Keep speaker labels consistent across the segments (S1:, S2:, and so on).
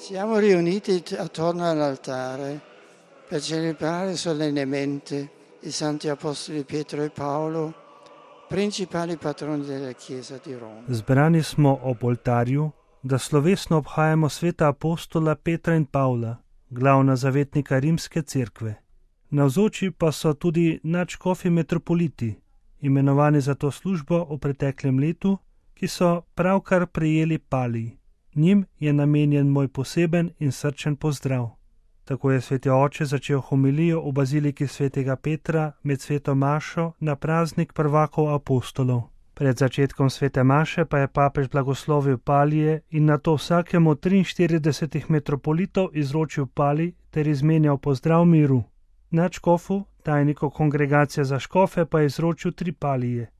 S1: Siamo riuniti attorno all'altare per celebrare solennemente i santi apostoli Pietro e Paolo, principali patroni della Chiesa di Roma.
S2: Zbrani smo ob oltarju, da slovesno obhajamo sveta apostola Petra in Pavla, glavna zavetnika Rimske cerkve. Navzoči pa so tudi nadškofi metropoliti, imenovani za to službo v preteklem letu, ki so pravkar prejeli palij. Njim je namenjen moj poseben in srčen pozdrav. Tako je sveti oče začel homilijo v baziliki svetega Petra med sveto mašo na praznik prvakov apostolov. Pred začetkom svete maše pa je papež blagoslovil palije in nato vsakemu 43 metropolitov izročil palij ter izmenjal pozdrav miru. Nadškofu, tajniku kongregacije za škofe, pa je izročil 3 palije.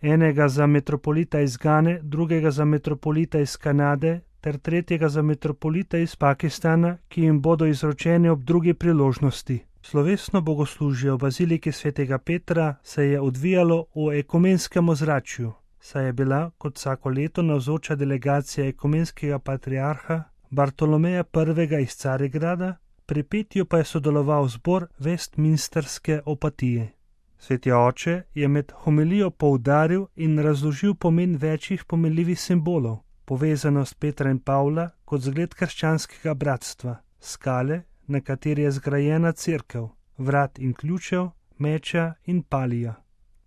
S2: Enega za metropolita iz Gane, drugega za metropolita iz Kanade ter tretjega za metropolita iz Pakistana, ki jim bodo izročeni ob drugi priložnosti. Slovesno bogoslužje v baziliki svetega Petra se je odvijalo v ekumenskem ozračju, saj je bila kot vsako leto navzoča delegacija ekumenskega patriarha Bartolomeja I. iz Carigrada, pri petju pa je sodeloval zbor Westminsterske opatije. Sveti oče je med homilijo poudaril in razložil pomen večjih pomenljivih simbolov, povezanost Petra in Pavla kot zgled krščanskega bratstva, skale, na kateri je zgrajena cerkev, vrat in ključev, meča in palija.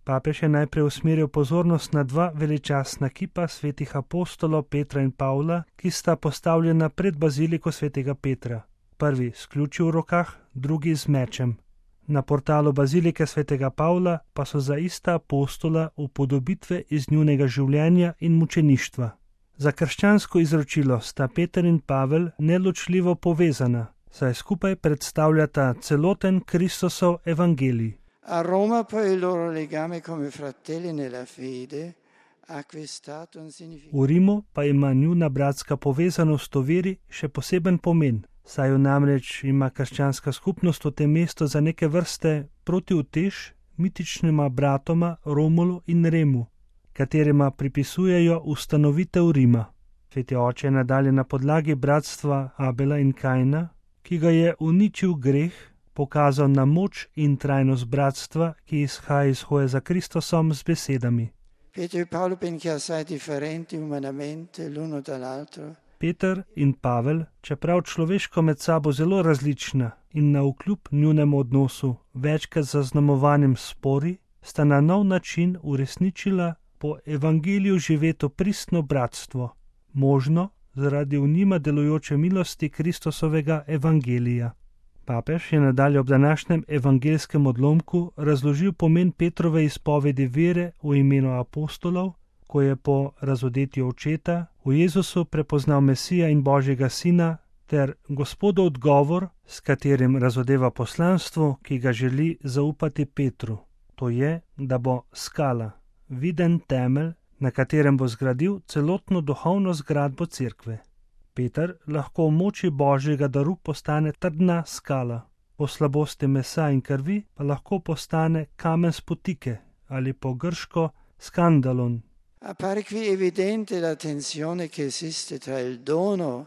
S2: Papež je najprej usmeril pozornost na 2 veličastna kipa svetih apostolov Petra in Pavla, ki sta postavljena pred baziliko svetega Petra. Prvi s ključi v rokah, drugi z mečem. Na portalu bazilike svetega Pavla pa so za ista apostola upodobitve iz njunega življenja in mučeništva. Za krščansko izročilo sta Peter in Pavel neločljivo povezana, saj skupaj predstavljata celoten Kristusov evangelij.
S1: A Roma pa il loro legame come fratelli nella fede ha acquistato un significato.
S2: V Rimu pa ima njuna bratska povezanost v veri še poseben pomen, saj jo namreč ima krščanska skupnost v tem mestu za neke vrste protiutež mitičnima bratoma Romulu in Remu, katerima pripisujejo ustanovitev Rima. Sveti oče je nadalje na podlagi bratstva Abela in Kaina, ki ga je uničil greh, pokazal na moč in trajnost bratstva, ki izhaja iz hoje za Kristusom z besedami.
S1: Pietro e Paolo, benché assai differenti umanamente l'uno dall'altro,
S2: Peter in Pavel, čeprav človeško med sabo zelo različna in navkljub njunemu odnosu večkrat zaznamovanim spori, sta na nov način uresničila po evangeliju živeto pristno bratstvo, možno zaradi v njima delujoče milosti Kristusovega evangelija. Papež je nadalje ob današnjem evangelskem odlomku razložil pomen Petrove izpovedi vere v imenu apostolov, ko je po razodetju očeta v Jezusu prepoznal Mesija in Božjega Sina, ter Gospodov odgovor, s katerim razodeva poslanstvo, ki ga želi zaupati Petru. To je, da bo skala, viden temelj, na katerem bo zgradil celotno duhovno zgradbo cerkve. Peter lahko v moči Božjega daru postane trdna skala, po slabosti mesa in krvi pa lahko postane kamen spotike ali po grško skandalon.
S1: appare qui evidente la tensione che esiste tra il dono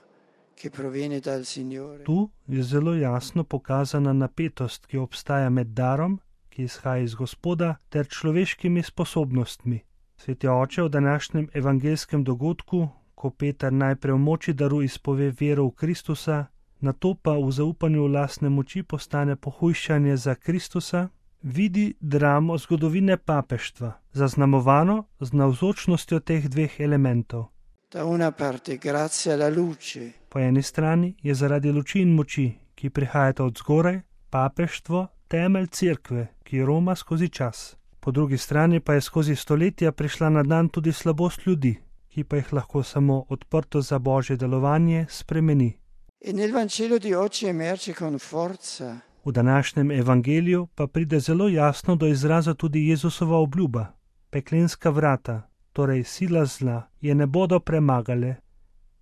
S1: che proviene dal Signore.
S2: Tu je zelo jasno pokazana napetost, ki obstaja med darom, ki izhaja iz Gospoda, ter človeškimi sposobnostmi. Sveti oče v današnjem evangelskem dogodku, ko Peter najprej v moči daru izpove vero v Kristusa, nato pa v zaupanju v lastne moči postane pohujšanje za Kristusa, vidi dramo zgodovine papeštva, zaznamovano z navzočnostjo teh 2 elementov.
S1: Da una parte grazie alla luce,
S2: Po eni strani je zaradi luči in moči, ki prihajata od zgoraj, papeštvo temelj cerkve, ki roma skozi čas. Po drugi strani pa je skozi stoletja prišla na dan tudi slabost ljudi, ki pa jih lahko samo odprto za Božje delovanje spremeni.
S1: e nel Vangelo di oggi emerge con forza
S2: V današnjem evangeliju pa pride zelo jasno do izraza tudi Jezusova obljuba. Peklenska vrata, torej sila zla, je ne bodo premagale.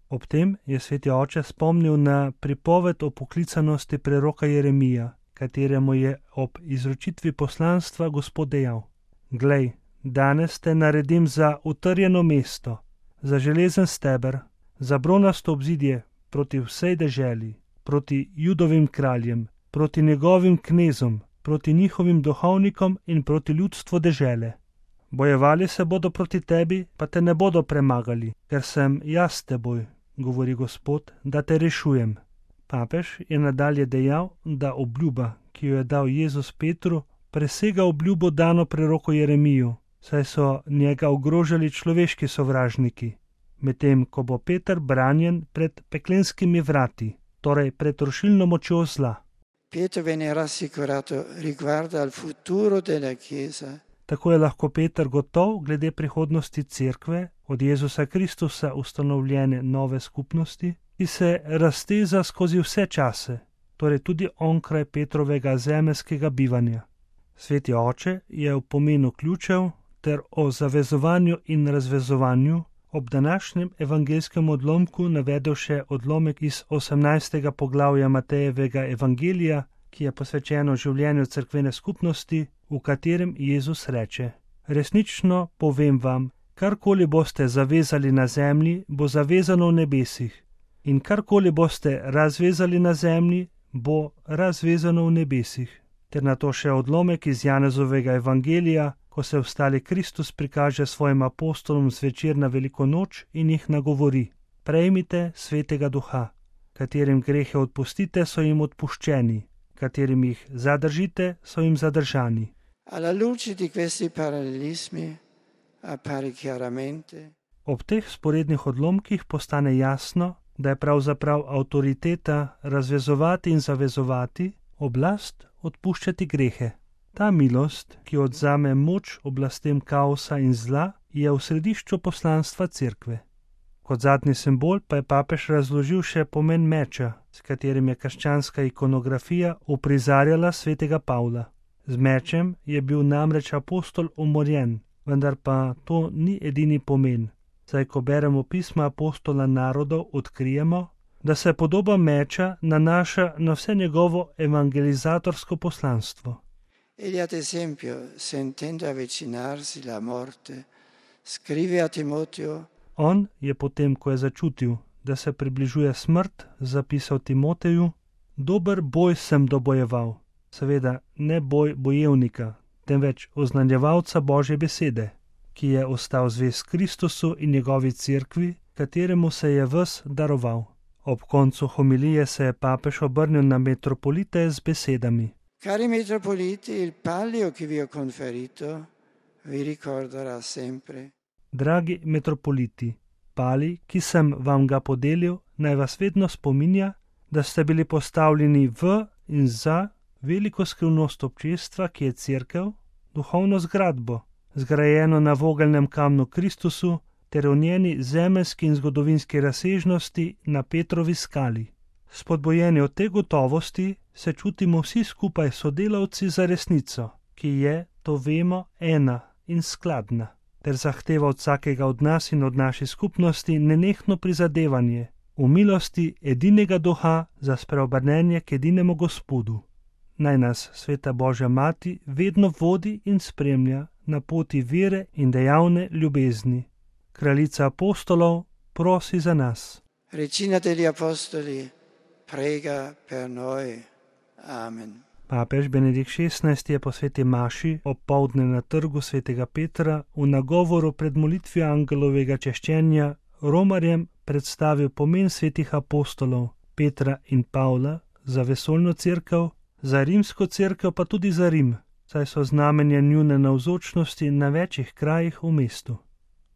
S2: Ob tem je sveti oče spomnil na pripoved o poklicanosti preroka Jeremija, kateremu je ob izročitvi poslanstva Gospod dejal: Glej, danes te naredim za utrjeno mesto, za železen steber, za bronasto obzidje, proti vsej deželi, proti Judovim kraljem, proti njegovim knezom, proti njihovim duhovnikom in proti ljudstvu dežele. Bojevali se bodo proti tebi, pa te ne bodo premagali, ker sem jaz s teboj, govori Gospod, da te rešujem. Papež je nadalje dejal, da obljuba, ki jo je dal Jezus Petru, presega obljubo dano preroku Jeremiju, saj so njega ogrožali človeški sovražniki, medtem ko bo Peter branjen pred peklenskimi vrati, torej pred rušilno močjo zla.
S1: Pietro venne rassicurato riguardo al futuro della Chiesa.
S2: Tako je lahko Peter gotov glede prihodnosti cerkve, od Jezusa Kristusa ustanovljene nove skupnosti, ki se razteza skozi vse čase, torej tudi onkraj Petrovega zemeljskega bivanja. Sveti oče je o pomenu ključev ter o zavezovanju in razvezovanju ob današnjem evangeljskem odlomku navedel še odlomek iz 18. poglavja Matejevega evangelija, ki je posvečeno življenju cerkvene skupnosti, v katerem Jezus reče: Resnično povem vam, karkoli boste zavezali na zemlji, bo zavezano v nebesih, in karkoli boste razvezali na zemlji, bo razvezano v nebesih. Ter na to še odlomek iz Janezovega evangelija, ko se vstali Kristus prikaže svojim apostolom zvečer na veliko noč in jih nagovori: Prejmite svetega duha, katerim grehe odpustite, so jim odpuščeni, katerim jih zadržite, so jim zadržani.
S1: Alla luce di questi parallelismi appare chiaramente.
S2: Ob teh sporednih odlomkih postane jasno, da je pravzaprav avtoriteta razvezovati in zavezovati, oblast odpuščati grehe. Ta milost, ki odzame moč oblastem kaosa in zla, je v središču poslanstva cerkve. Kot zadnji simbol pa je papež razložil še pomen meča, s katerim je krščanska ikonografija uprizarjala svetega Pavla. Z mečem je bil namreč apostol umorjen, vendar pa to ni edini pomen, saj ko beremo pisma apostola narodov, odkrijemo, da se podoba meča nanaša na vse njegovo evangelizatorsko poslanstvo.
S1: Egli ad esempio, sentendo avvicinarsi la morte, scrive a Timoteo:
S2: On je potem, ko je začutil, da se približuje smrt, zapisal Timoteju: Dober boj sem dobojeval. Seveda ne boj bojevnika, temveč oznanjevalca Božje besede, ki je ostal zvest Kristusu in njegovi cerkvi, kateremu se je ves daroval. Ob koncu homilije se je papež obrnil na metropolite z besedami:
S1: Cari metropoliti, il palio che vi ho conferito vi ricorderà sempre.
S2: Dragi metropoliti, pali, ki sem vam ga podelil, naj vas vedno spominja, da ste bili postavljeni v in za veliko skrivnost občestva, ki je cerkev, duhovno zgradbo, zgrajeno na vogelnem kamnu Kristusu ter v njeni zemeljski in zgodovinski razsežnosti na Petrovi skali. Spodbojeni od te gotovosti se čutimo vsi skupaj sodelavci za resnico, ki je, to vemo, ena in skladna, ter zahteva od vsakega od nas in od naše skupnosti nenehno prizadevanje v milosti edinega duha za spreobrnenje k edinemu Gospodu. Naj nas sveta Božja Mati vedno vodi in spremlja na poti vere in dejavne ljubezni. Kraljica apostolov prosi za nas.
S1: Regina degli Apostoli, prega per noi. Amen.
S2: Papež Benedikt XVI je po sveti maši opoldne na trgu svetega Petra v nagovoru pred molitvijo angelovega češčenja romarjem predstavil pomen svetih apostolov Petra in Pavla za vesoljno cerkev, za rimsko cerkev pa tudi za Rim, saj so znamenja njune navzočnosti na večjih krajih v mestu.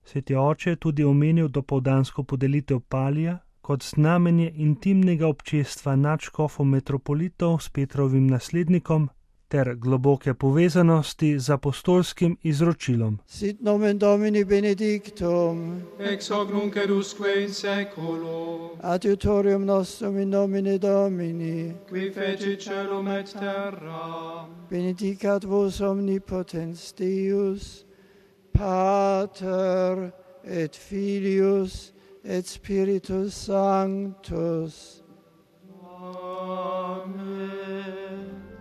S2: Sveti oče je tudi omenil dopoldansko podelitev palija kot znamenje intimnega občestva nadškofom metropolitov s Petrovim naslednikom ter globoke povezanosti z apostolskim izročilom.
S1: Sit nomen Domini benedictum,
S3: ex hoc nunc et usque in seculo,
S1: adiutorium nostrum in nomine Domini,
S3: qui fecit caelum et terra.
S1: benedicat vos omnipotens Deus, Pater et Filius et Spiritus Sanctus.